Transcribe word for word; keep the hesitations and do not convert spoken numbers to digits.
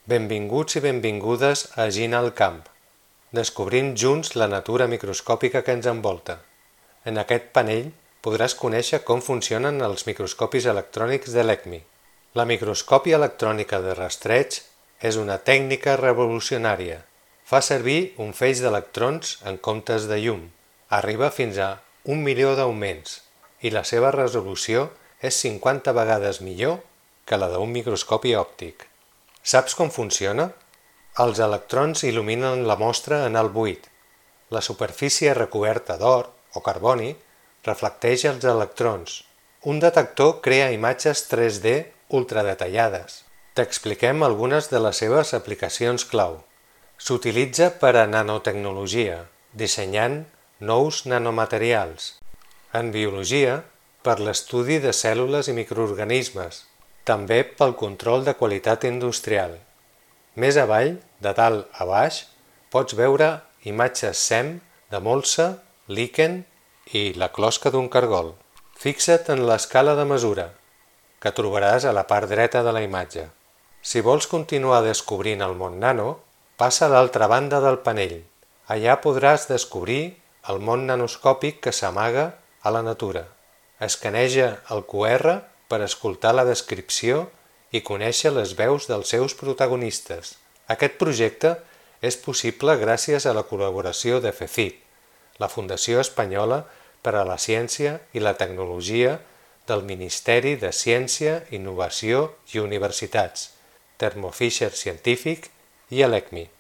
Benvinguts i benvingudes a Gina al camp, descobrint junts la natura microscòpica que ens envolta. En aquest panell podràs conèixer com funcionen els microscopis electrònics de l'ECMI. La microscòpia electrònica de rastreig és una tècnica revolucionària. Fa servir un feix d'electrons en comptes de llum. Arriba fins a un milió d'augments i la seva resolució és cinquanta vegades millor que la d'un microscopi òptic. Saps com funciona? Els electrons il·luminen la mostra en el buit. La superfície recoberta d'or o carboni reflecteix els electrons. Un detector crea imatges tres D ultradetallades. T'expliquem algunes de les seves aplicacions clau. S'utilitza per a nanotecnologia, dissenyant nous nanomaterials. En biologia, per l'estudi de cèl·lules i microorganismes. També pel control de qualitat industrial. Més avall, de dalt a baix, pots veure imatges S E M de molsa, líquen i la closca d'un cargol. Fixa't en l'escala de mesura, que trobaràs a la part dreta de la imatge. Si vols continuar descobrint el món nano, passa a l'altra banda del panell. Allà podràs descobrir el món nanoscòpic que s'amaga a la natura. Escaneja el Q R per escoltar la descripció i conèixer les veus dels seus protagonistes. Aquest projecte és possible gràcies a la col·laboració de FECIT, la Fundació Espanyola per a la Ciència i la Tecnologia del Ministeri de Ciència, Innovació i Universitats, Thermo Fisher Scientific i l'ECMI.